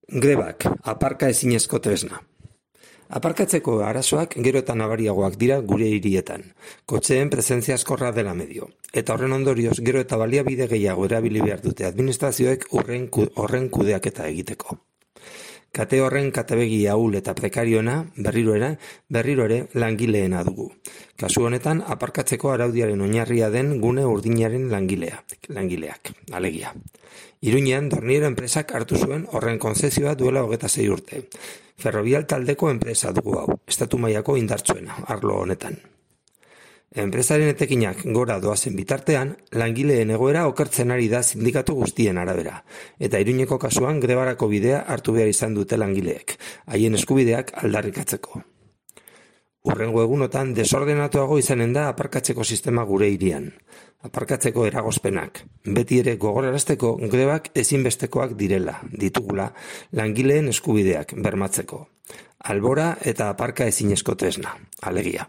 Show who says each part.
Speaker 1: Grebak, aparka ezinezko tresna. Aparkatzeko arazoak gero eta nabariagoak dira gure hirietan. Kotxeen presentzia askorra dela medio. Eta horren ondorioz gero eta baliabide gehiago erabili behar dute administrazioek horren kudeaketa egiteko. Kate horren katebegi ahul eta prekariona berriro ere langileena dugu. Kasu honetan, aparkatzeko araudiaren oinarria den gune urdinaren langileak, alegia. Iruñean, Dorniero enpresak hartu zuen horren konzezioa duela 26 urte. Ferrovial taldeko enpresa dugu hau, estatu mailako indartsuena, arlo honetan. Enpresaren etekinak gora doazen bitartean, langileen egoera okertzen ari da sindikatu guztien arabera, eta Iruñeko kasuan grebarako bidea hartu behar izan dute langileek, haien eskubideak aldarrikatzeko. Hurrengo egunotan desordenatuago izanen da aparkatzeko sistema gure hirian. Aparkatzeko eragozpenak, beti ere gogorarazteko grebak ezinbestekoak ditugula langileen eskubideak bermatzeko. Albora eta aparka ezinezko tresna, alegia.